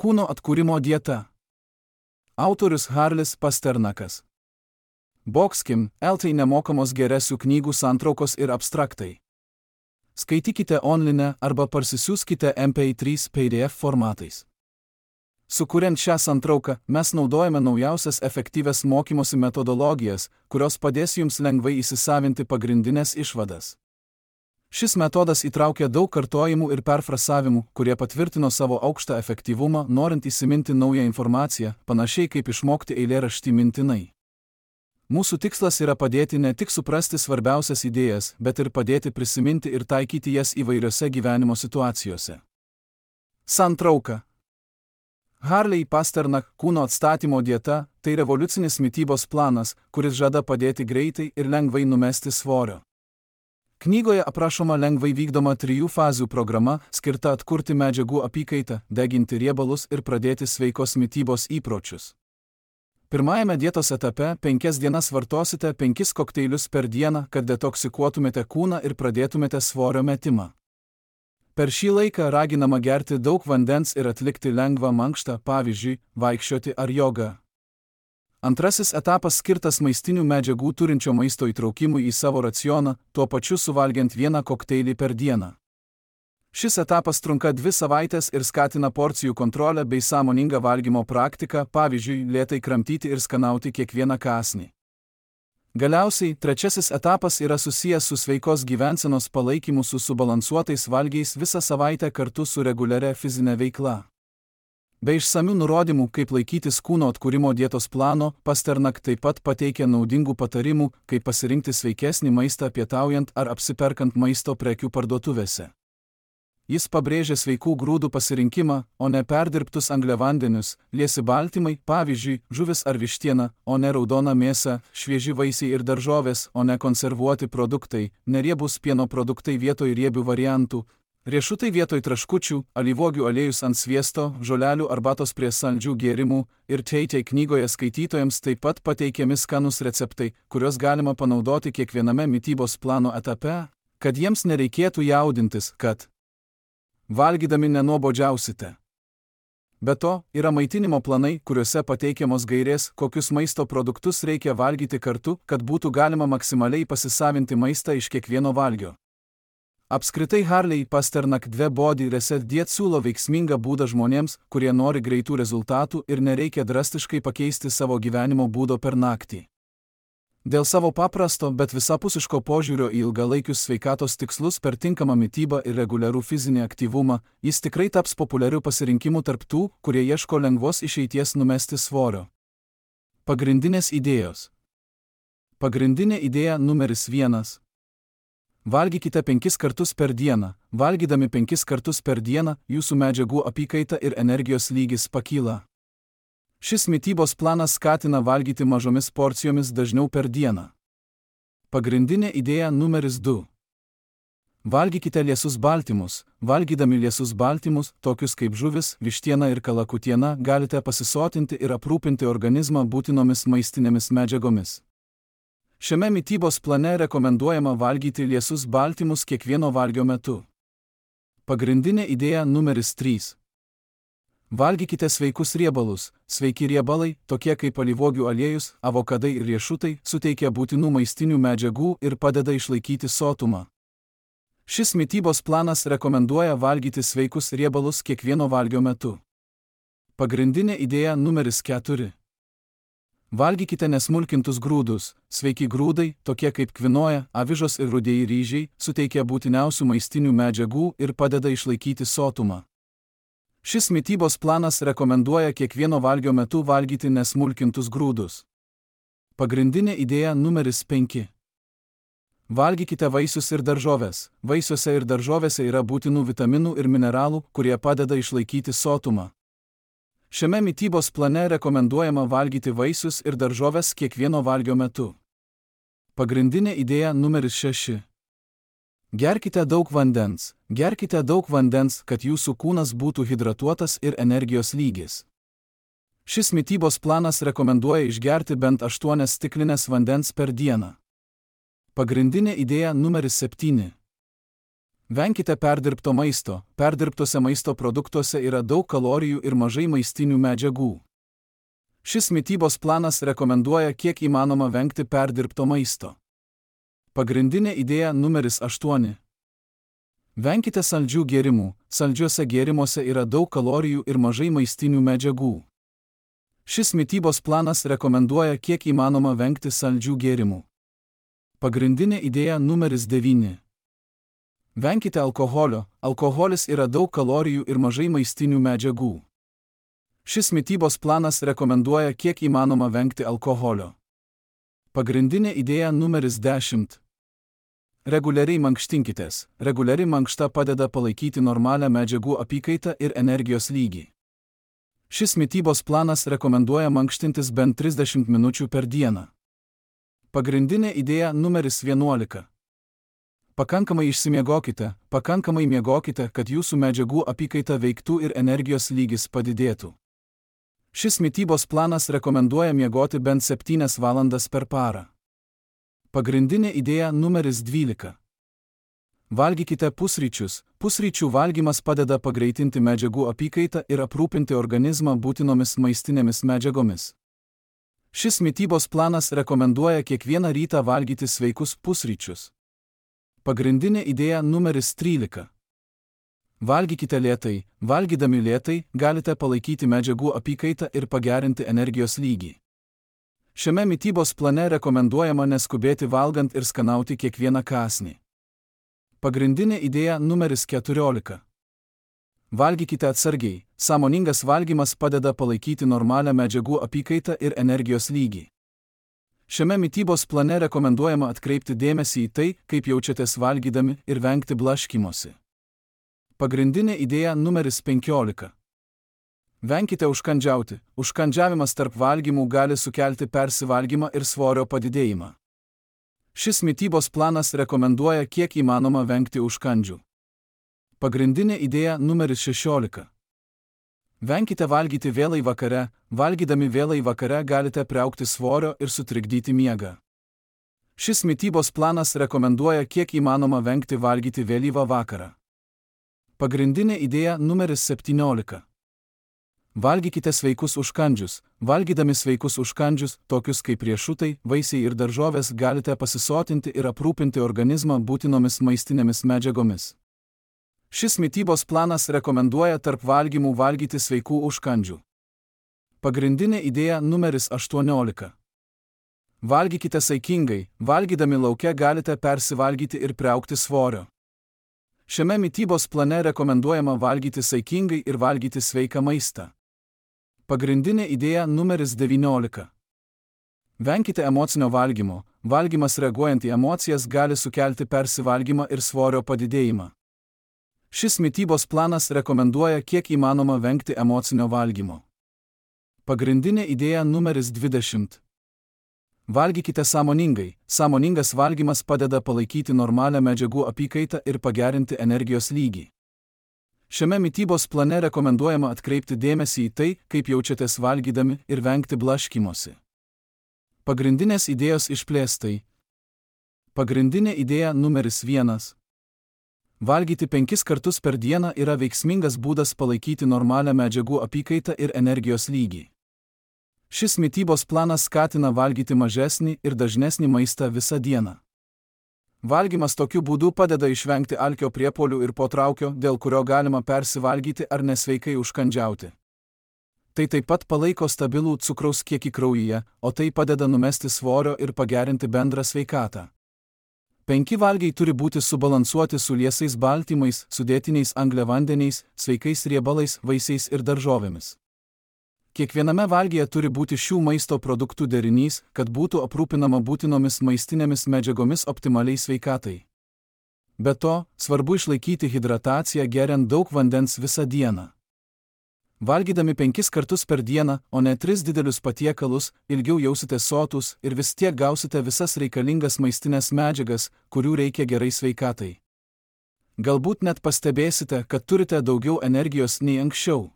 Kūno atkūrimo dieta. Autorius Harlis Pasternakas. Boxkim, LT nemokamos geresių knygų santraukos ir abstraktai. Skaitykite online arba parsisiųskite MP3 PDF formatais. Sukuriant šią santrauką, mes naudojame naujausias efektyvias mokymosi metodologijas, kurios padės jums lengvai įsisavinti pagrindinės išvadas. Šis metodas įtraukia daug kartojimų ir perfrasavimų, kurie patvirtino savo aukštą efektyvumą, norint įsiminti naują informaciją, panašiai kaip išmokti eilėraštį mintinai. Mūsų tikslas yra padėti ne tik suprasti svarbiausias idėjas, bet ir padėti prisiminti ir taikyti jas įvairiose gyvenimo situacijose. Santrauka. Harley Pasternak kūno atstatymo dieta – tai revoliucinis mitybos planas, kuris žada padėti greitai ir lengvai numesti svorio. Knygoje aprašoma lengvai vykdoma 3 fazių programa, skirta atkurti medžiagų apykaitą, deginti riebalus ir pradėti sveikos mitybos įpročius. Pirmajame dietos etape 5 dienas vartosite 5 kokteilius per dieną, kad detoksikuotumėte kūną ir pradėtumėte svorio metimą. Per šį laiką raginama gerti daug vandens ir atlikti lengvą mankštą, pavyzdžiui, vaikščioti ar jogą. Antrasis etapas skirtas maistinių medžiagų turinčio maisto įtraukimui į savo racioną, tuo pačiu suvalgiant 1 kokteilį per dieną. Šis etapas trunka 2 savaites ir skatina porcijų kontrolę bei sąmoningą valgymo praktiką, pavyzdžiui, lėtai kramtyti ir skanauti kiekvieną kąsnį. Galiausiai, trečiasis etapas yra susijęs su sveikos gyvensenos palaikymu su subalansuotais valgiais visą savaitę kartu su reguliaria fizinė veikla. Be išsamių nurodymų, kaip laikytis kūno atkūrimo dietos plano, Pasternak taip pat pateikia naudingų patarimų, kaip pasirinkti sveikesnį maistą pietaujant ar apsiperkant maisto prekių parduotuvėse. Jis pabrėžia sveikų grūdų pasirinkimą, o ne perdirbtus angliavandenius, liesi baltymai, pavyzdžiui, žuvis ar vištiena, o ne raudona mėsa, švieži vaisiai ir daržovės, o ne konservuoti produktai, neriebūs pieno produktai vietoj riebių variantų, riešutai vietoj traškučių, alyvuogių aliejus ant sviesto, žolelių arbatos prie saldžių gėrimų ir Teitei knygoje skaitytojams taip pat pateikiami skanūs receptai, kuriuos galima panaudoti kiekviename mitybos plano etape, kad jiems nereikėtų jaudintis, kad valgydami nenuobodžiausite. Be to, yra maitinimo planai, kuriuose pateikiamos gairės, kokius maisto produktus reikia valgyti kartu, kad būtų galima maksimaliai pasisavinti maistą iš kiekvieno valgio. Apskritai Harley Pasternak 2 Body Reset Diet siūlo veiksmingą būdą žmonėms, kurie nori greitų rezultatų ir nereikia drastiškai pakeisti savo gyvenimo būdo per naktį. Dėl savo paprasto, bet visapusiško požiūrio į ilgalaikius sveikatos tikslus per tinkamą mitybą ir reguliarų fizinį aktyvumą, jis tikrai taps populiariu pasirinkimu tarp tų, kurie ieško lengvos išeities numesti svorio. Pagrindinės idėjos. Pagrindinė idėja numeris 1. Valgykite 5 kartus per dieną. Valgydami 5 kartus per dieną, jūsų medžiagų apykaita ir energijos lygis pakyla. Šis mitybos planas skatina valgyti mažomis porcijomis dažniau per dieną. Pagrindinė idėja numeris 2. Valgykite liesus baltymus. Valgydami liesus baltymus, tokius kaip žuvis, vištiena ir kalakutiena, galite pasisotinti ir aprūpinti organizmą būtinomis maistinėmis medžiagomis. Šiame mitybos plane rekomenduojama valgyti liesus baltymus kiekvieno valgio metu. Pagrindinė idėja numeris 3. Valgykite sveikus riebalus. Sveiki riebalai, tokie kaip alyvuogių aliejus, avokadai ir riešutai, suteikia būtinų maistinių medžiagų ir padeda išlaikyti sotumą. Šis mitybos planas rekomenduoja valgyti sveikus riebalus kiekvieno valgio metu. Pagrindinė idėja numeris 4. Valgykite nesmulkintus grūdus. Sveiki grūdai, tokie kaip kvinoja, avižos ir rudieji ryžiai, suteikia būtiniausių maistinių medžiagų ir padeda išlaikyti sotumą. Šis mitybos planas rekomenduoja kiekvieno valgio metu valgyti nesmulkintus grūdus. Pagrindinė idėja numeris 5. Valgykite vaisius ir daržoves. Vaisiuose ir daržovėse yra būtinų vitaminų ir mineralų, kurie padeda išlaikyti sotumą. Šiame mitybos plane rekomenduojama valgyti vaisius ir daržoves kiekvieno valgio metu. Pagrindinė idėja numeris 6. Gerkite daug vandens. Gerkite daug vandens, kad jūsų kūnas būtų hidratuotas ir energijos lygis. Šis mitybos planas rekomenduoja išgerti bent 8 stiklines vandens per dieną. Pagrindinė idėja numeris 7. Venkite perdirbto maisto. Perdirbtose maisto produktuose yra daug kalorijų ir mažai maistinių medžiagų. Šis mitybos planas rekomenduoja kiek įmanoma vengti perdirbto maisto. Pagrindinė idėja numeris 8. Venkite saldžių gėrimų. Saldžiuose gėrimuose yra daug kalorijų ir mažai maistinių medžiagų. Šis mitybos planas rekomenduoja kiek įmanoma vengti saldžių gėrimų. Pagrindinė idėja numeris 9. Venkite alkoholio. Alkoholis yra daug kalorijų ir mažai maistinių medžiagų. Šis mitybos planas rekomenduoja kiek įmanoma vengti alkoholio. Pagrindinė idėja numeris 10. Reguliariai mankštinkitės. Reguliari mankšta padeda palaikyti normalią medžiagų apykaitą ir energijos lygį. Šis mitybos planas rekomenduoja mankštintis bent 30 minučių per dieną. Pagrindinė idėja numeris 11. Pakankamai išsimiegokite. Pakankamai miegokite, kad jūsų medžiagų apykaita veiktų ir energijos lygis padidėtų. Šis mitybos planas rekomenduoja miegoti bent 7 valandas per parą. Pagrindinė idėja numeris 12. Valgykite pusryčius. Pusryčių valgymas padeda pagreitinti medžiagų apykaitą ir aprūpinti organizmą būtinomis maistinėmis medžiagomis. Šis mitybos planas rekomenduoja kiekvieną rytą valgyti sveikus pusryčius. Pagrindinė idėja numeris 13. Valgykite lėtai. Valgydami lėtai galite palaikyti medžiagų apykaitą ir pagerinti energijos lygį. Šiame mitybos plane rekomenduojama neskubėti valgant ir skanauti kiekvieną kąsnį. Pagrindinė idėja numeris 14. Valgykite atsargiai. Sąmoningas valgymas padeda palaikyti normalią medžiagų apykaitą ir energijos lygį. Šiame mitybos plane rekomenduojama atkreipti dėmesį į tai, kaip jaučiatės valgydami ir vengti blaškymosi. Pagrindinė idėja numeris 15. Venkite užkandžiauti. Užkandžiavimas tarp valgymų gali sukelti persivalgymą ir svorio padidėjimą. Šis mitybos planas rekomenduoja kiek įmanoma vengti užkandžių. Pagrindinė idėja numeris 16. Venkite valgyti vėlai vakare. Valgydami vėlai vakare galite priaugti svorio ir sutrikdyti miegą. Šis mitybos planas rekomenduoja kiek įmanoma vengti valgyti vėlyvą vakarą. Pagrindinė idėja numeris 17. Valgykite sveikus užkandžius. Valgydami sveikus užkandžius, tokius kaip riešutai, vaisiai ir daržovės, galite pasisotinti ir aprūpinti organizmą būtinomis maistinėmis medžiagomis. Šis mitybos planas rekomenduoja tarp valgymų valgyti sveikų užkandžių. Pagrindinė idėja numeris 18. Valgykite saikingai. Valgydami lauke galite persivalgyti ir priaugti svorio. Šiame mitybos plane rekomenduojama valgyti saikingai ir valgyti sveiką maistą. Pagrindinė idėja numeris 19. Venkite emocinio valgymo. Valgymas reaguojant į emocijas gali sukelti persivalgymą ir svorio padidėjimą. Šis mitybos planas rekomenduoja kiek įmanoma vengti emocinio valgymo. Pagrindinė idėja numeris 20. Valgykite sąmoningai. Sąmoningas valgymas padeda palaikyti normalią medžiagų apykaitą ir pagerinti energijos lygį. Šiame mitybos plane rekomenduojama atkreipti dėmesį į tai, kaip jaučiatės valgydami ir vengti blaškymosi. Pagrindinės idėjos išplėstai. Pagrindinė idėja numeris 1. Valgyti 5 kartus per dieną yra veiksmingas būdas palaikyti normalią medžiagų apykaitą ir energijos lygį. Šis mitybos planas skatina valgyti mažesnį ir dažnesnį maistą visą dieną. Valgymas tokiu būdu padeda išvengti alkio priepuolių ir potraukio, dėl kurio galima persivalgyti ar nesveikai užkandžiauti. Tai taip pat palaiko stabilų cukraus kiekį kraujyje, o tai padeda numesti svorio ir pagerinti bendrą sveikatą. 5 valgiai turi būti subalansuoti su liesais baltymais, sudėtiniais angliavandeniais, sveikais riebalais, vaisiais ir daržovėmis. Kiekviename valgyje turi būti šių maisto produktų derinys, kad būtų aprūpinama būtinomis maistinėmis medžiagomis optimaliai sveikatai. Be to, svarbu išlaikyti hidrataciją geriant daug vandens visą dieną. Valgydami 5 kartus per dieną, o ne 3 didelius patiekalus, ilgiau jausitės sotūs ir vis tiek gausite visas reikalingas maistinės medžiagas, kurių reikia gerai sveikatai. Galbūt net pastebėsite, kad turite daugiau energijos nei anksčiau.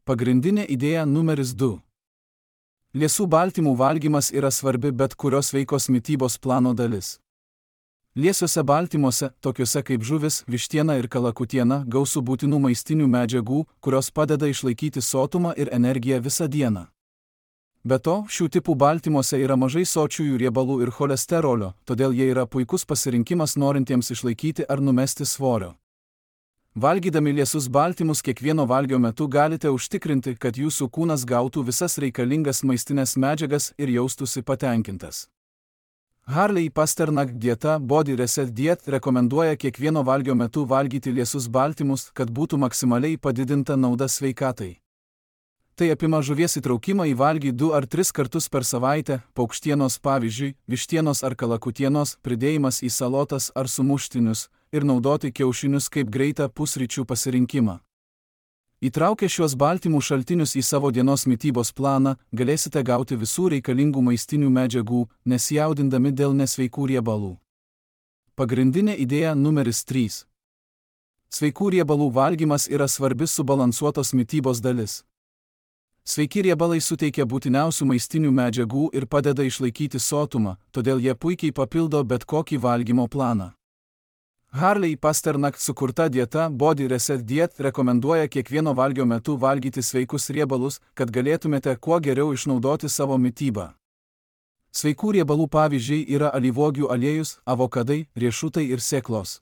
Pagrindinė idėja numeris 2. Liesų baltymų valgymas yra svarbi bet kurios sveikos mitybos plano dalis. Liesiuose baltymuose, tokiuose kaip žuvis, vištiena ir kalakutiena, gausu būtinų maistinių medžiagų, kurios padeda išlaikyti sotumą ir energiją visą dieną. Be to, šių tipų baltymuose yra mažai sočiųjų riebalų ir cholesterolio, todėl jie yra puikus pasirinkimas norintiems išlaikyti ar numesti svorio. Valgydami liesius baltymus kiekvieno valgio metu galite užtikrinti, kad jūsų kūnas gautų visas reikalingas maistinės medžiagas ir jaustųsi patenkintas. Harley Pasternak dieta Body Reset Diet rekomenduoja kiekvieno valgio metu valgyti liesius baltymus, kad būtų maksimaliai padidinta nauda sveikatai. Tai apima žuvies įtraukimą į valgį 2 ar 3 kartus per savaitę, paukštienos pavyzdžiui, vištienos ar kalakutienos, pridėjimas į salotas ar sumuštinius ir naudoti kiaušinius kaip greitą pusryčių pasirinkimą. Įtraukę šios baltymų šaltinius į savo dienos mitybos planą, galėsite gauti visų reikalingų maistinių medžiagų, nesijaudindami dėl nesveikų riebalų. Pagrindinė idėja numeris 3. Sveikų riebalų valgymas yra svarbi subalansuotos mitybos dalis. Sveiki riebalai suteikia būtiniausių maistinių medžiagų ir padeda išlaikyti sotumą, todėl jie puikiai papildo bet kokį valgymo planą. Harley Pasternak sukurta dieta Body Reset Diet rekomenduoja kiekvieno valgio metu valgyti sveikus riebalus, kad galėtumėte kuo geriau išnaudoti savo mitybą. Sveikų riebalų pavyzdžiai yra alyvuogių aliejus, avokadai, riešutai ir sėklos.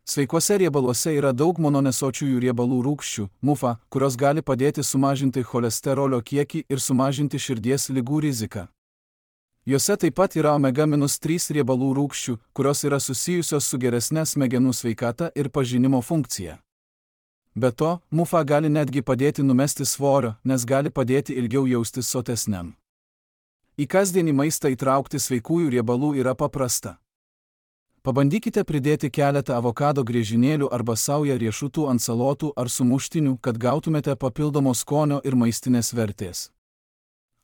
Sveikuose riebaluose yra daug mononesočiųjų riebalų rūgščių, MUFA, kurios gali padėti sumažinti cholesterolio kiekį ir sumažinti širdies ligų riziką. Jose taip pat yra omega-3 riebalų rūgščių, kurios yra susijusios su geresne smegenų sveikata ir pažinimo funkcija. Be to, MUFA gali netgi padėti numesti svorio, nes gali padėti ilgiau jaustis sotesniam. Į kasdienį maistą įtraukti sveikųjų riebalų yra paprasta. Pabandykite pridėti keletą avokado griežinėlių arba saują riešutų ant salotų ar sumuštinių, kad gautumėte papildomo skonio ir maistinės vertės.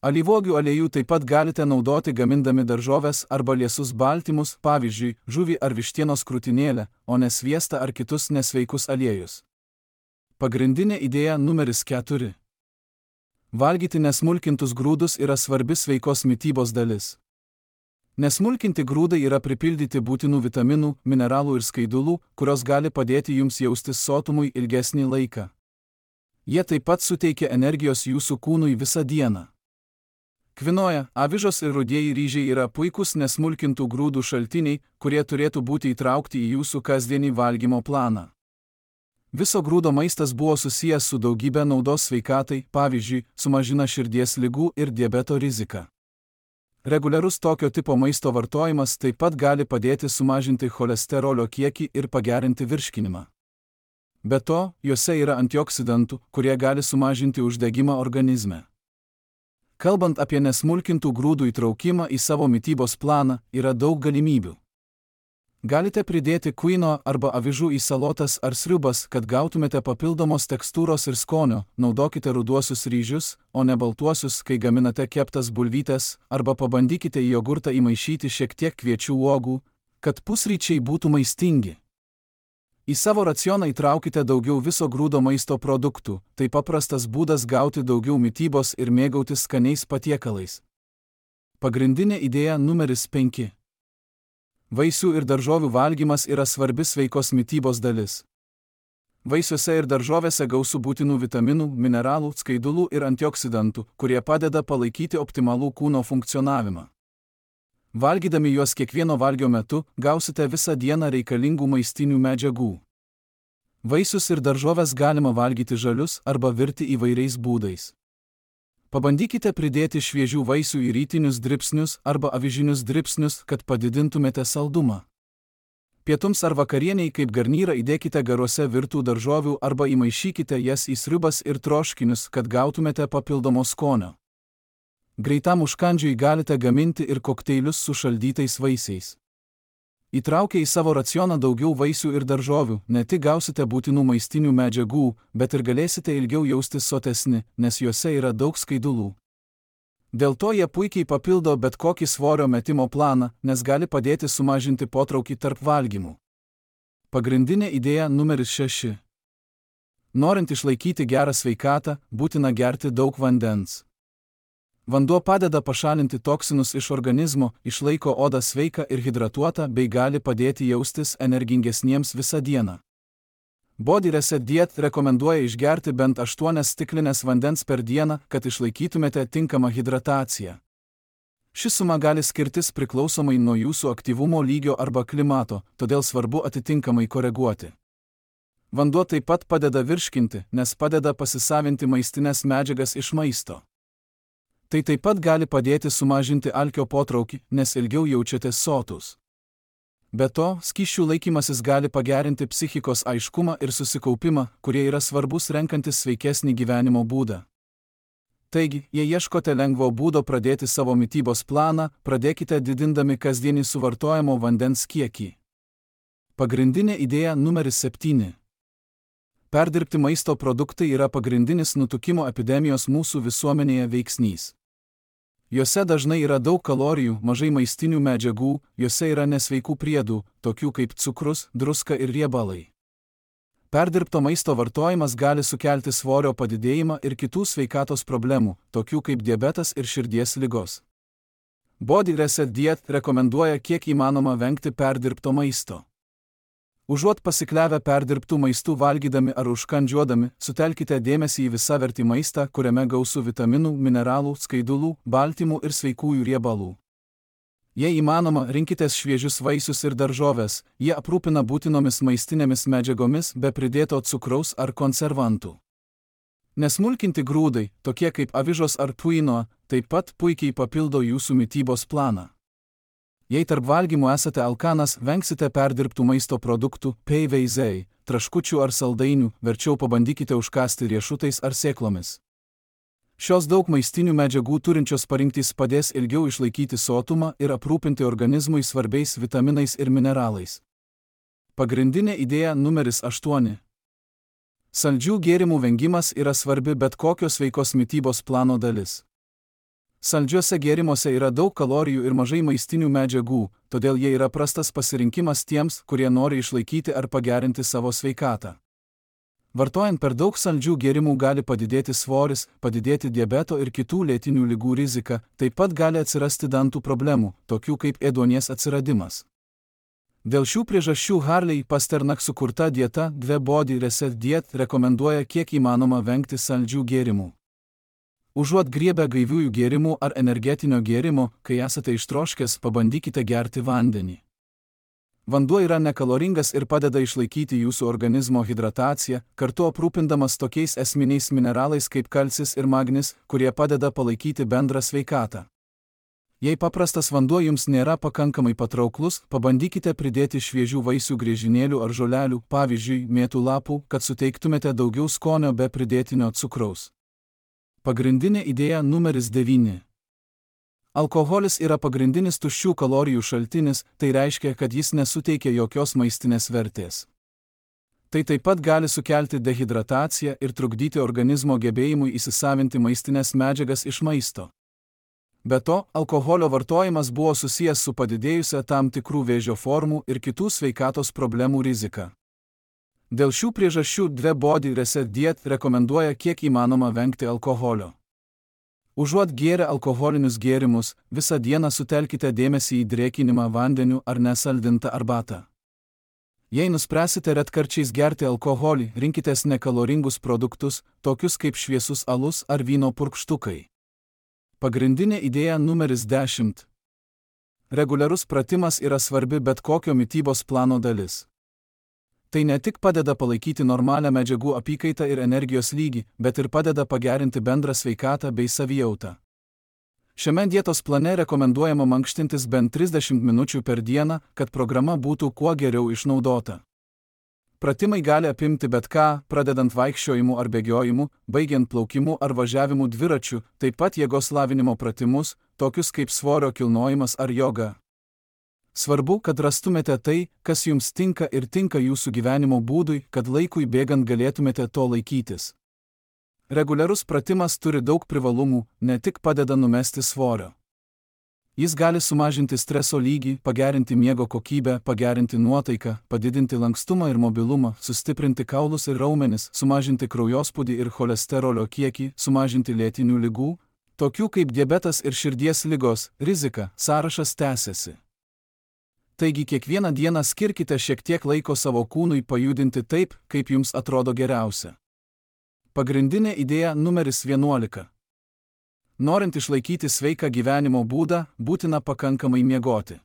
Alyvuogių aliejų taip pat galite naudoti gamindami daržoves arba liesus baltymus, pavyzdžiui, žuvį ar vištienos krūtinėlę, o ne sviestą ar kitus nesveikus aliejus. Pagrindinė idėja numeris 4. Valgyti nesmulkintus grūdus yra svarbi sveikos mitybos dalis. Nesmulkinti grūdai yra pripildyti būtinų vitaminų, mineralų ir skaidulų, kurios gali padėti jums jaustis sotumui ilgesnį laiką. Jie taip pat suteikia energijos jūsų kūnui visą dieną. Kvinoja, avižos ir rudieji ryžiai yra puikūs nesmulkintų grūdų šaltiniai, kurie turėtų būti įtraukti į jūsų kasdienį valgymo planą. Viso grūdo maistas buvo susijęs su daugybė naudos sveikatai, pavyzdžiui, sumažina širdies ligų ir diabeto riziką. Reguliarus tokio tipo maisto vartojimas taip pat gali padėti sumažinti cholesterolio kiekį ir pagerinti virškinimą. Be to, juose yra antioksidantų, kurie gali sumažinti uždegimą organizme. Kalbant apie nesmulkintų grūdų įtraukimą į savo mitybos planą, yra daug galimybių. Galite pridėti kvino arba avižų į salotas ar sriubas, kad gautumėte papildomos tekstūros ir skonio, naudokite ruduosius ryžius, o ne baltuosius, kai gaminate keptas bulvytes, arba pabandykite į jogurtą įmaišyti šiek tiek kviečių uogų, kad pusryčiai būtų maistingi. Į savo racioną įtraukite daugiau viso grūdo maisto produktų, tai paprastas būdas gauti daugiau mitybos ir mėgautis skaniais patiekalais. Pagrindinė idėja numeris 5. Vaisių ir daržovių valgymas yra svarbi sveikos mitybos dalis. Vaisiuose ir daržovėse gausu būtinų vitaminų, mineralų, skaidulų ir antioksidantų, kurie padeda palaikyti optimalų kūno funkcionavimą. Valgydami juos kiekvieno valgio metu, gausite visą dieną reikalingų maistinių medžiagų. Vaisius ir daržoves galima valgyti žalius arba virti įvairiais būdais. Pabandykite pridėti šviežių vaisių į rytinius dribsnius arba avižinius dribsnius, kad padidintumėte saldumą. Pietums ar vakarieniai kaip garnyrą įdėkite garuose virtų daržovių arba įmaišykite jas į sriubas ir troškinius, kad gautumėte papildomo skonio. Greitam užkandžiui galite gaminti ir kokteilius su šaldytais vaisiais. Įtraukę į savo racioną daugiau vaisių ir daržovių, ne tik gausite būtinų maistinių medžiagų, bet ir galėsite ilgiau jaustis sotesni, nes juose yra daug skaidulų. Dėl to jie puikiai papildo bet kokį svorio metimo planą, nes gali padėti sumažinti potraukį tarp valgymų. Pagrindinė idėja numeris 6. Norint išlaikyti gerą sveikatą, būtina gerti daug vandens. Vanduo padeda pašalinti toksinus iš organizmo, išlaiko odą sveiką ir hidratuotą bei gali padėti jaustis energingesniems visą dieną. Body Reset Diet rekomenduoja išgerti bent 8 stiklinės vandens per dieną, kad išlaikytumėte tinkamą hidrataciją. Ši suma gali skirtis priklausomai nuo jūsų aktyvumo lygio arba klimato, todėl svarbu atitinkamai koreguoti. Vanduo taip pat padeda virškinti, nes padeda pasisavinti maistinės medžiagas iš maisto. Tai taip pat gali padėti sumažinti alkio potraukį, nes ilgiau jaučiatės sotūs. Be to, skysčių laikymasis gali pagerinti psichikos aiškumą ir susikaupimą, kurie yra svarbus renkantis sveikesnį gyvenimo būdą. Taigi, jei ieškote lengvo būdo pradėti savo mitybos planą, pradėkite didindami kasdienį suvartojamo vandens kiekį. Pagrindinė idėja numeris 7. Perdirbti maisto produktai yra pagrindinis nutukimo epidemijos mūsų visuomenėje veiksnys. Juose dažnai yra daug kalorijų, mažai maistinių medžiagų, juose yra nesveikų priedų, tokių kaip cukrus, druska ir riebalai. Perdirbto maisto vartojimas gali sukelti svorio padidėjimą ir kitų sveikatos problemų, tokių kaip diabetas ir širdies ligos. Body Reset Diet rekomenduoja kiek įmanoma vengti perdirbto maisto. Užuot pasikliavę perdirbtų maistų valgydami ar užkandžiuodami, sutelkite dėmesį į visavertį maistą, kuriame gausu vitaminų, mineralų, skaidulų, baltymų ir sveikųjų riebalų. Jei įmanoma, rinkitės šviežius vaisius ir daržoves, jie aprūpina būtinomis maistinėmis medžiagomis be pridėto cukraus ar konservantų. Nesmulkinti grūdai, tokie kaip avižos ar quinoa, taip pat puikiai papildo jūsų mitybos planą. Jei tarp valgymų esate alkanas, vengsite perdirbtų maisto produktų, PVZ, traškučių ar saldainių, verčiau pabandykite užkąsti riešutais ar sėklomis. Šios daug maistinių medžiagų turinčios parinktys padės ilgiau išlaikyti sotumą ir aprūpinti organizmui svarbiais vitaminais ir mineralais. Pagrindinė idėja numeris 8. Saldžių gėrimų vengimas yra svarbi bet kokios sveikos mitybos plano dalis. Saldžiuose gėrimuose yra daug kalorijų ir mažai maistinių medžiagų, todėl jie yra prastas pasirinkimas tiems, kurie nori išlaikyti ar pagerinti savo sveikatą. Vartojant per daug saldžių gėrimų gali padidėti svoris, padidėti diabeto ir kitų lėtinių ligų rizika, taip pat gali atsirasti dantų problemų, tokių kaip ėduonies atsiradimas. Dėl šių priežasčių Harley Pasternak sukurta dieta Body Reset Diet rekomenduoja kiek įmanoma vengti saldžių gėrimų. Užuot griebę gaiviųjų gėrimų ar energetinio gėrimo, kai esate ištroškęs, pabandykite gerti vandenį. Vanduo yra nekaloringas ir padeda išlaikyti jūsų organizmo hidrataciją, kartu aprūpindamas tokiais esminiais mineralais kaip kalcis ir magnis, kurie padeda palaikyti bendrą sveikatą. Jei paprastas vanduo jums nėra pakankamai patrauklus, pabandykite pridėti šviežių vaisių griežinėlių ar žolelių, pavyzdžiui, mėtų lapų, kad suteiktumėte daugiau skonio be pridėtinio cukraus. Pagrindinė idėja numeris 9. Alkoholis yra pagrindinis tuščių kalorijų šaltinis, tai reiškia, kad jis nesuteikia jokios maistinės vertės. Tai taip pat gali sukelti dehidrataciją ir trukdyti organizmo gebėjimui įsisavinti maistinės medžiagas iš maisto. Be to, alkoholio vartojimas buvo susijęs su padidėjusia tam tikrų vėžio formų ir kitų sveikatos problemų rizika. Dėl šių priežasčių Body Reset Diet rekomenduoja kiek įmanoma vengti alkoholio. Užuot gėrę alkoholinius gėrimus, visą dieną sutelkite dėmesį į drėkinimą vandeniu ar nesaldintą arbatą. Jei nuspręsite retkarčiais gerti alkoholį, rinkitės nekaloringus produktus, tokius kaip šviesus alus ar vyno purkštukai. Pagrindinė idėja numeris 10. Reguliarus pratimas yra svarbi bet kokio mitybos plano dalis. Tai ne tik padeda palaikyti normalią medžiagų apykaitą ir energijos lygį, bet ir padeda pagerinti bendrą sveikatą bei savijautą. Šiame dietos plane rekomenduojama mankštintis bent 30 minučių per dieną, kad programa būtų kuo geriau išnaudota. Pratimai gali apimti bet ką, pradedant vaikščiojimu ar bėgiojimu, baigiant plaukimu ar važiavimu dviračiu, taip pat jėgos lavinimo pratimus, tokius kaip svorio kilnojimas ar joga. Svarbu, kad rastumėte tai, kas jums tinka ir tinka jūsų gyvenimo būdui, kad laikui bėgant galėtumėte to laikytis. Reguliarus pratimas turi daug privalumų, ne tik padeda numesti svorio. Jis gali sumažinti streso lygį, pagerinti miego kokybę, pagerinti nuotaiką, padidinti lankstumą ir mobilumą, sustiprinti kaulus ir raumenis, sumažinti kraujospūdį ir cholesterolio kiekį, sumažinti lėtinių ligų, tokių kaip diabetas ir širdies ligos, rizika, sąrašas tęsiasi. Taigi kiekvieną dieną skirkite šiek tiek laiko savo kūnui pajudinti taip, kaip jums atrodo geriausia. Pagrindinė idėja numeris 11. Norint išlaikyti sveiką gyvenimo būdą, būtina pakankamai miegoti.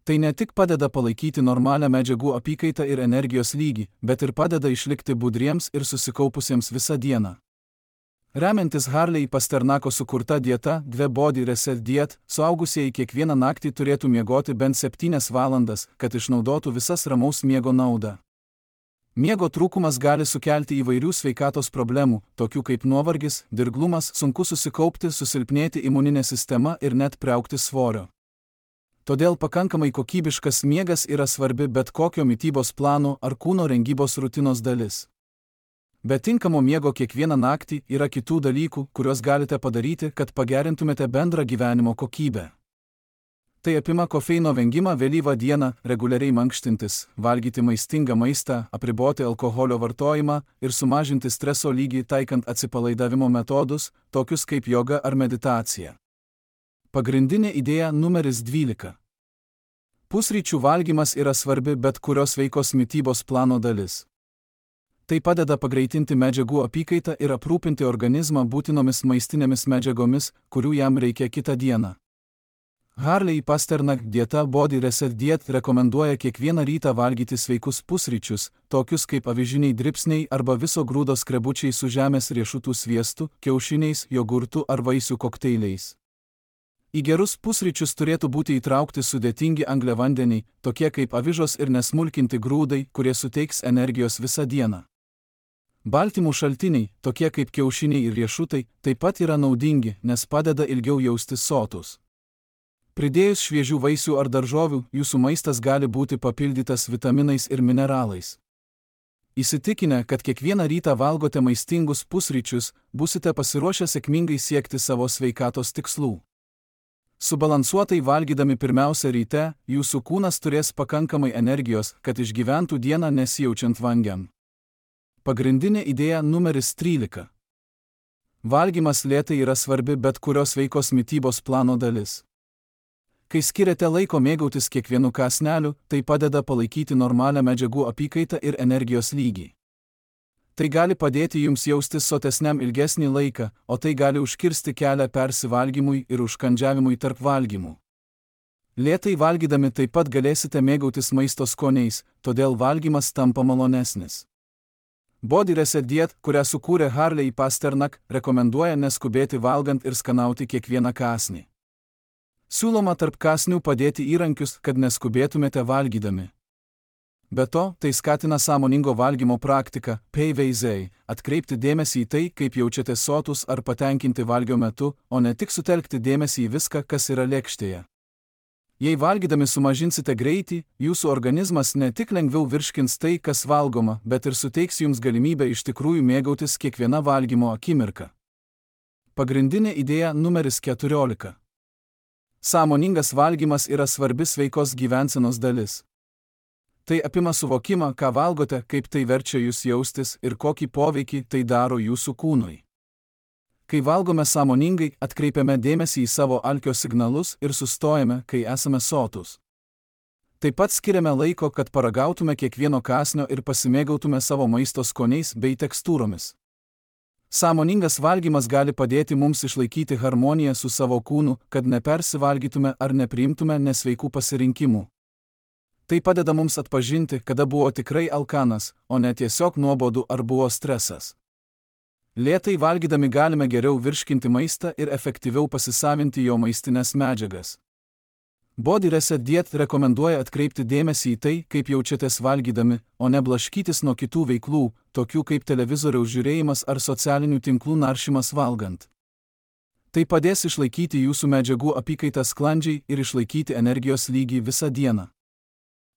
Tai ne tik padeda palaikyti normalią medžiagų apykaitą ir energijos lygį, bet ir padeda išlikti budriems ir susikaupusiems visą dieną. Remiantis Harley Pasternako sukurta dieta, The Body Reset Diet, suaugusieji kiekvieną naktį turėtų miegoti bent 7 valandas, kad išnaudotų visas ramaus miego naudą. Miego trūkumas gali sukelti įvairių sveikatos problemų, tokių kaip nuovargis, dirglumas, sunku susikaupti, susilpnėti imuninė sistema ir net priaugti svorio. Todėl pakankamai kokybiškas miegas yra svarbi bet kokio mitybos plano ar kūno rengybos rutinos dalis. Be tinkamo miego kiekvieną naktį yra kitų dalykų, kuriuos galite padaryti, kad pagerintumėte bendrą gyvenimo kokybę. Tai apima kofeino vengimą vėlyvą dieną, reguliariai mankštintis, valgyti maistingą maistą, apriboti alkoholio vartojimą ir sumažinti streso lygį taikant atsipalaidavimo metodus, tokius kaip joga ar meditacija. Pagrindinė idėja numeris 12. Pusryčių valgymas yra svarbi bet kurios sveikos mitybos plano dalis. Tai padeda pagreitinti medžiagų apykaitą ir aprūpinti organizmą būtinomis maistinėmis medžiagomis, kurių jam reikia kitą dieną. Harley Pasternak dieta Body Reset Diet rekomenduoja kiekvieną rytą valgyti sveikus pusryčius, tokius kaip avižiniai dribsniai arba viso grūdo skrebučiai su žemės riešutų sviestu, kiaušiniais, jogurtu ar vaisių kokteiliais. Į gerus pusryčius turėtų būti įtraukti sudėtingi angliavandeniai, tokie kaip avižos ir nesmulkinti grūdai, kurie suteiks energijos visą dieną. Baltymų šaltiniai, tokie kaip kiaušiniai ir riešutai, taip pat yra naudingi, nes padeda ilgiau jaustis sotus. Pridėjus šviežių vaisių ar daržovių, jūsų maistas gali būti papildytas vitaminais ir mineralais. Įsitikinę, kad kiekvieną rytą valgote maistingus pusryčius, busite pasiruošę sėkmingai siekti savo sveikatos tikslų. Subalansuotai valgydami pirmiausia ryte, jūsų kūnas turės pakankamai energijos, kad išgyventų dieną nesijaučiant vangiam. Pagrindinė idėja numeris 13. Valgymas lėtai yra svarbi bet kurios sveikos mitybos plano dalis. Kai skiriate laiko mėgautis kiekvienu kąsneliu, tai padeda palaikyti normalią medžiagų apykaitą ir energijos lygį. Tai gali padėti jums jaustis sotesniam ilgesnį laiką, o tai gali užkirsti kelią persivalgymui ir užkandžiavimui tarp valgymų. Lėtai valgydami taip pat galėsite mėgautis maisto skoniais, todėl valgymas tampa malonesnis. Body Reset Diet, kurią sukūrė Harley Pasternak, rekomenduoja neskubėti valgant ir skanauti kiekvieną kąsnį. Siūloma tarp kąsnių padėti įrankius, kad neskubėtumėte valgydami. Be to, tai skatina sąmoningo valgymo praktiką, PVZ, atkreipti dėmesį į tai, kaip jaučiate sotus ar patenkinti valgio metu, o ne tik sutelkti dėmesį į viską, kas yra lėkštėje. Jei valgydami sumažinsite greitį, jūsų organizmas ne tik lengviau virškins tai, kas valgoma, bet ir suteiks jums galimybę iš tikrųjų mėgautis kiekviena valgymo akimirka. Pagrindinė idėja numeris 14. Sąmoningas valgymas yra svarbi sveikos gyvensenos dalis. Tai apima suvokimą, ką valgote, kaip tai verčia jūs jaustis ir kokį poveikį tai daro jūsų kūnui. Kai valgome sąmoningai, atkreipiame dėmesį į savo alkio signalus ir sustojame, kai esame sotus. Taip pat skiriame laiko, kad paragautume kiekvieno kąsnio ir pasimėgautume savo maisto skoniais bei tekstūromis. Sąmoningas valgymas gali padėti mums išlaikyti harmoniją su savo kūnu, kad nepersivalgytume ar nepriimtume nesveikų pasirinkimų. Tai padeda mums atpažinti, kada buvo tikrai alkanas, o ne tiesiog nuobodu ar buvo stresas. Lėtai valgydami galime geriau virškinti maistą ir efektyviau pasisavinti jo maistinės medžiagas. Body Reset Diet rekomenduoja atkreipti dėmesį į tai, kaip jaučiatės valgydami, o ne blaškytis nuo kitų veiklų, tokių kaip televizoriaus žiūrėjimas ar socialinių tinklų naršymas valgant. Tai padės išlaikyti jūsų medžiagų apykaitą sklandžiai ir išlaikyti energijos lygį visą dieną.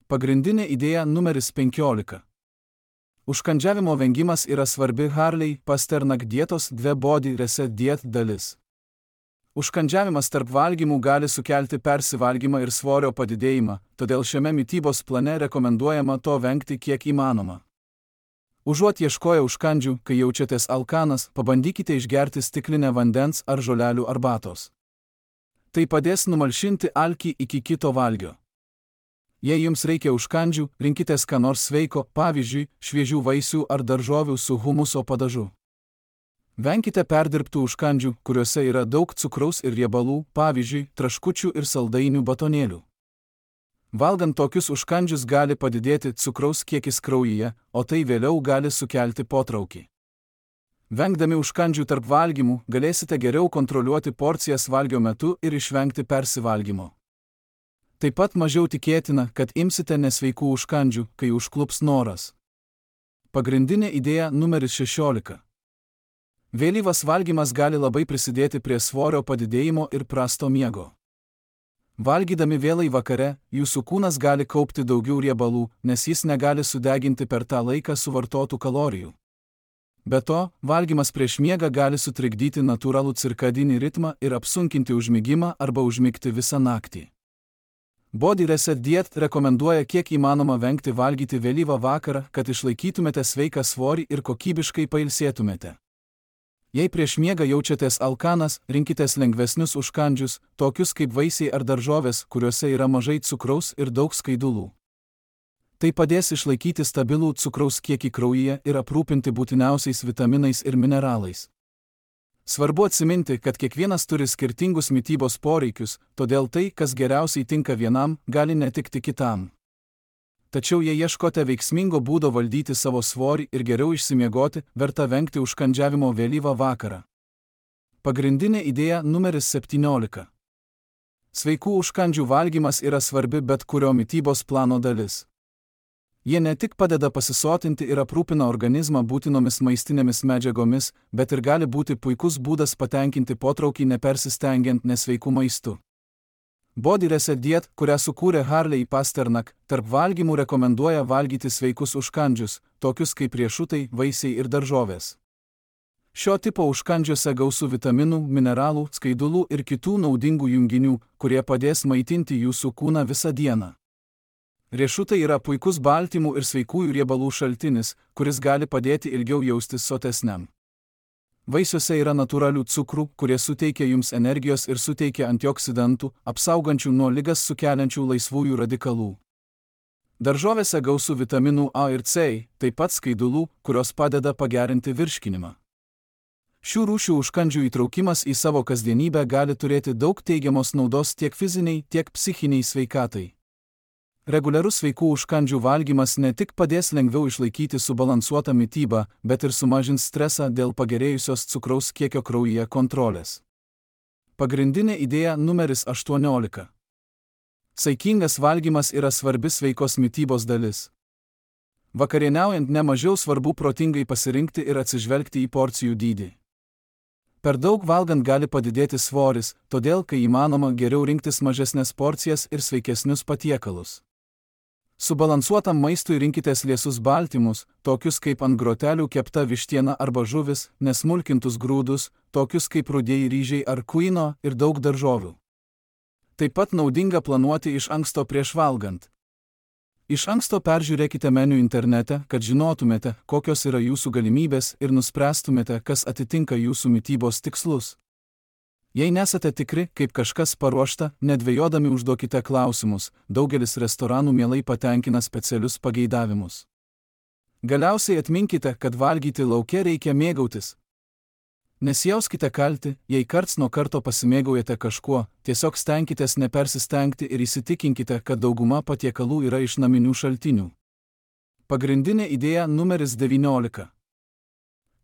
Pagrindinė idėja numeris 15. Užkandžiavimo vengimas yra svarbi Harley Pasternak dietos The Body Reset Diet dalis. Užkandžiavimas tarp valgymų gali sukelti persivalgymą ir svorio padidėjimą, todėl šiame mitybos plane rekomenduojama to vengti kiek įmanoma. Užuot ieškoję užkandžių, kai jaučiatės alkanas, pabandykite išgerti stiklinę vandens ar žolelių arbatos. Tai padės numalšinti alkį iki kito valgio. Jei jums reikia užkandžių, rinkitės ką nors sveiko, pavyzdžiui, šviežių vaisių ar daržovių su humuso padažu. Venkite perdirbtų užkandžių, kuriuose yra daug cukraus ir riebalų, pavyzdžiui, traškučių ir saldainių batonėlių. Valgant tokius užkandžius gali padidėti cukraus kiekis kraujyje, o tai vėliau gali sukelti potraukį. Vengdami užkandžių tarp valgymų, galėsite geriau kontroliuoti porcijas valgio metu ir išvengti persivalgymo. Taip pat mažiau tikėtina, kad imsite nesveikų užkandžių, kai užklups noras. Pagrindinė idėja numeris 16. Vėlyvas valgymas gali labai prisidėti prie svorio padidėjimo ir prasto miego. Valgydami vėlai vakare, jūsų kūnas gali kaupti daugiau riebalų, nes jis negali sudeginti per tą laiką suvartotų kalorijų. Be to, valgymas prieš miegą gali sutrikdyti natūralų cirkadinį ritmą ir apsunkinti užmigimą arba užmigti visą naktį. Body Reset Diet rekomenduoja kiek įmanoma vengti valgyti vėlyvą vakarą, kad išlaikytumėte sveiką svorį ir kokybiškai pailsėtumėte. Jei prieš miegą jaučiatės alkanas, rinkitės lengvesnius užkandžius, tokius kaip vaisiai ar daržovės, kuriuose yra mažai cukraus ir daug skaidulų. Tai padės išlaikyti stabilų cukraus kiekį kraujyje ir aprūpinti būtiniausiais vitaminais ir mineralais. Svarbu atsiminti, kad kiekvienas turi skirtingus mitybos poreikius, todėl tai, kas geriausiai tinka vienam, gali netikti kitam. Tačiau jei ieškote veiksmingo būdo valdyti savo svorį ir geriau išsimiegoti, verta vengti užkandžiavimo vėlyvą vakarą. Pagrindinė idėja numeris 17. Sveikų užkandžių valgymas yra svarbi bet kurio mitybos plano dalis. Jie ne tik padeda pasisotinti ir aprūpina organizmą būtinomis maistinėmis medžiagomis, bet ir gali būti puikus būdas patenkinti potraukį nepersistengiant nesveikų maistų. Body Reset Diet, kurią sukūrė Harley Pasternak, tarp valgymų rekomenduoja valgyti sveikus užkandžius, tokius kaip riešutai, vaisiai ir daržovės. Šio tipo užkandžiuose gausu vitaminų, mineralų, skaidulų ir kitų naudingų junginių, kurie padės maitinti jūsų kūną visą dieną. Riešutai yra puikus baltymų ir sveikųjų riebalų šaltinis, kuris gali padėti ilgiau jaustis sotesniam. Vaisiuose yra natūralių cukrų, kurie suteikia jums energijos ir suteikia antioksidantų, apsaugančių nuo ligas sukeliančių laisvųjų radikalų. Daržovėse gausu vitaminų A ir C, taip pat skaidulų, kurios padeda pagerinti virškinimą. Šių rūšių užkandžių įtraukimas į savo kasdienybę gali turėti daug teigiamos naudos tiek fiziniai, tiek psichiniai sveikatai. Reguliarus sveikų užkandžių valgymas ne tik padės lengviau išlaikyti subalansuotą mitybą, bet ir sumažins stresą dėl pagerėjusios cukraus kiekio kraujyje kontrolės. Pagrindinė idėja numeris 18. Saikingas valgymas yra svarbi sveikos mitybos dalis. Vakarieniaujant nemažiau svarbu protingai pasirinkti ir atsižvelgti į porcijų dydį. Per daug valgant gali padidėti svoris, todėl, kai įmanoma, geriau rinktis mažesnės porcijas ir sveikesnius patiekalus. Subalansuotam maistui rinkitės liesus baltymus, tokius kaip ant grotelių kepta vištiena arba žuvis, nesmulkintus grūdus, tokius kaip rudieji ryžiai ar kuino ir daug daržovių. Taip pat naudinga planuoti iš anksto prieš valgant. Iš anksto peržiūrėkite meniu internete, kad žinotumėte, kokios yra jūsų galimybės ir nuspręstumėte, kas atitinka jūsų mitybos tikslus. Jei nesate tikri, kaip kažkas paruošta, nedvejodami užduokite klausimus, daugelis restoranų mielai patenkina specialius pageidavimus. Galiausiai atminkite, kad valgyti lauke reikia mėgautis. Nesijauskite kalti, jei karts nuo karto pasimėgaujate kažkuo, tiesiog stenkitės nepersistengti ir įsitikinkite, kad dauguma patiekalų yra iš naminių šaltinių. Pagrindinė idėja numeris 19.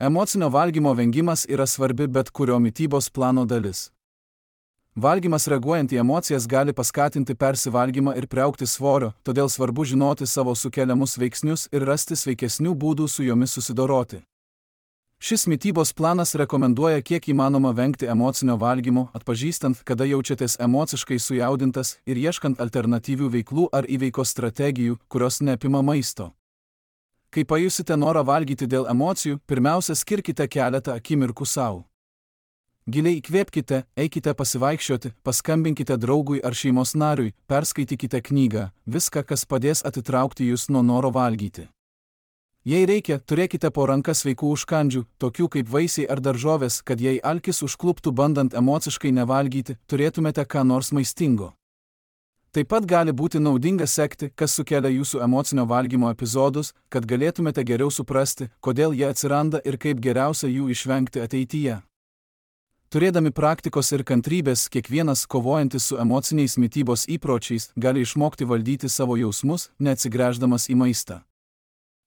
Emocinio valgymo vengimas yra svarbi bet kurio mitybos plano dalis. Valgymas reaguojant į emocijas gali paskatinti persivalgymą ir priaugti svorio, todėl svarbu žinoti savo sukeliamus veiksnius ir rasti sveikesnių būdų su jomis susidoroti. Šis mitybos planas rekomenduoja kiek įmanoma vengti emocinio valgymo, atpažįstant, kada jaučiatės emociškai sujaudintas ir ieškant alternatyvių veiklų ar įveikos strategijų, kurios neapima maisto. Kai pajusite norą valgyti dėl emocijų, pirmiausia skirkite keletą akimirkų savo. Giliai įkvėpkite, eikite pasivaikščioti, paskambinkite draugui ar šeimos nariui, perskaitykite knygą, viską, kas padės atitraukti jūs nuo noro valgyti. Jei reikia, turėkite po ranka sveikų užkandžių, tokių kaip vaisiai ar daržovės, kad jei alkis užkluptų bandant emociškai nevalgyti, turėtumėte ką nors maistingo. Taip pat gali būti naudinga sekti, kas sukelia jūsų emocinio valgymo epizodus, kad galėtumėte geriau suprasti, kodėl jie atsiranda ir kaip geriausia jų išvengti ateityje. Turėdami praktikos ir kantrybės, kiekvienas kovojantis su emociniais mitybos įpročiais gali išmokti valdyti savo jausmus, neatsigręždamas į maistą.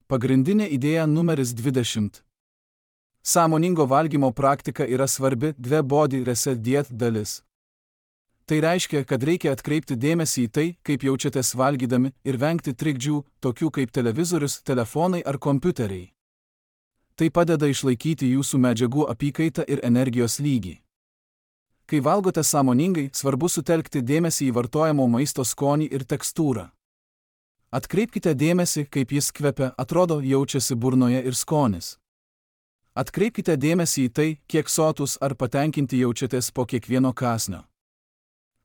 Pagrindinė idėja numeris 20. Sąmoningo valgymo praktika yra svarbi Body Reset Diet dalis. Tai reiškia, kad reikia atkreipti dėmesį į tai, kaip jaučiatės valgydami ir vengti trikdžių, tokių kaip televizorius, telefonai ar kompiuteriai. Tai padeda išlaikyti jūsų medžiagų apykaitą ir energijos lygį. Kai valgote sąmoningai, svarbu sutelkti dėmesį į vartojamo maisto skonį ir tekstūrą. Atkreipkite dėmesį, kaip jis kvepia, atrodo, jaučiasi burnoje ir skonis. Atkreipkite dėmesį į tai, kiek sotus ar patenkinti jaučiatės po kiekvieno kąsnio.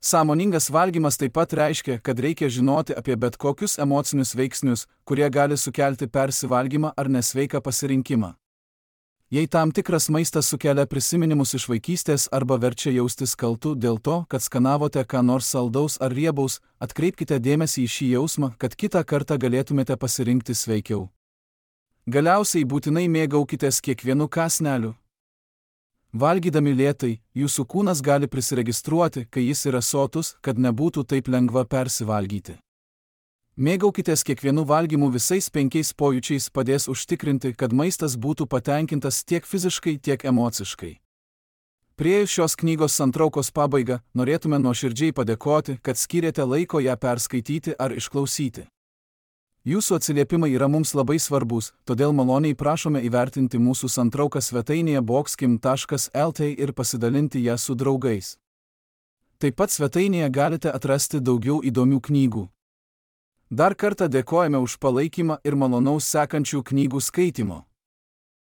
Sąmoningas valgymas taip pat reiškia, kad reikia žinoti apie bet kokius emocinius veiksnius, kurie gali sukelti persivalgymą ar nesveiką pasirinkimą. Jei tam tikras maistas sukelia prisiminimus iš vaikystės arba verčia jaustis kaltu dėl to, kad skanavote ką nors saldaus ar riebaus, atkreipkite dėmesį į šį jausmą, kad kitą kartą galėtumėte pasirinkti sveikiau. Galiausiai būtinai mėgaukitės kiekvienu kąsneliu. Valgydami lėtai, jūsų kūnas gali prisiregistruoti, kai jis yra sotus, kad nebūtų taip lengva persivalgyti. Mėgaukitės kiekvienu valgymu, visais 5 pojūčiais padės užtikrinti, kad maistas būtų patenkintas tiek fiziškai, tiek emociškai. Priėjus šios knygos santraukos pabaigą, norėtume nuoširdžiai padėkoti, kad skyrėte laiko ją perskaityti ar išklausyti. Jūsų atsiliepimai yra mums labai svarbus, todėl maloniai prašome įvertinti mūsų santrauką svetainėje boxkim.lt ir pasidalinti ją su draugais. Taip pat svetainėje galite atrasti daugiau įdomių knygų. Dar kartą dėkojame už palaikymą ir malonaus sekančių knygų skaitymo.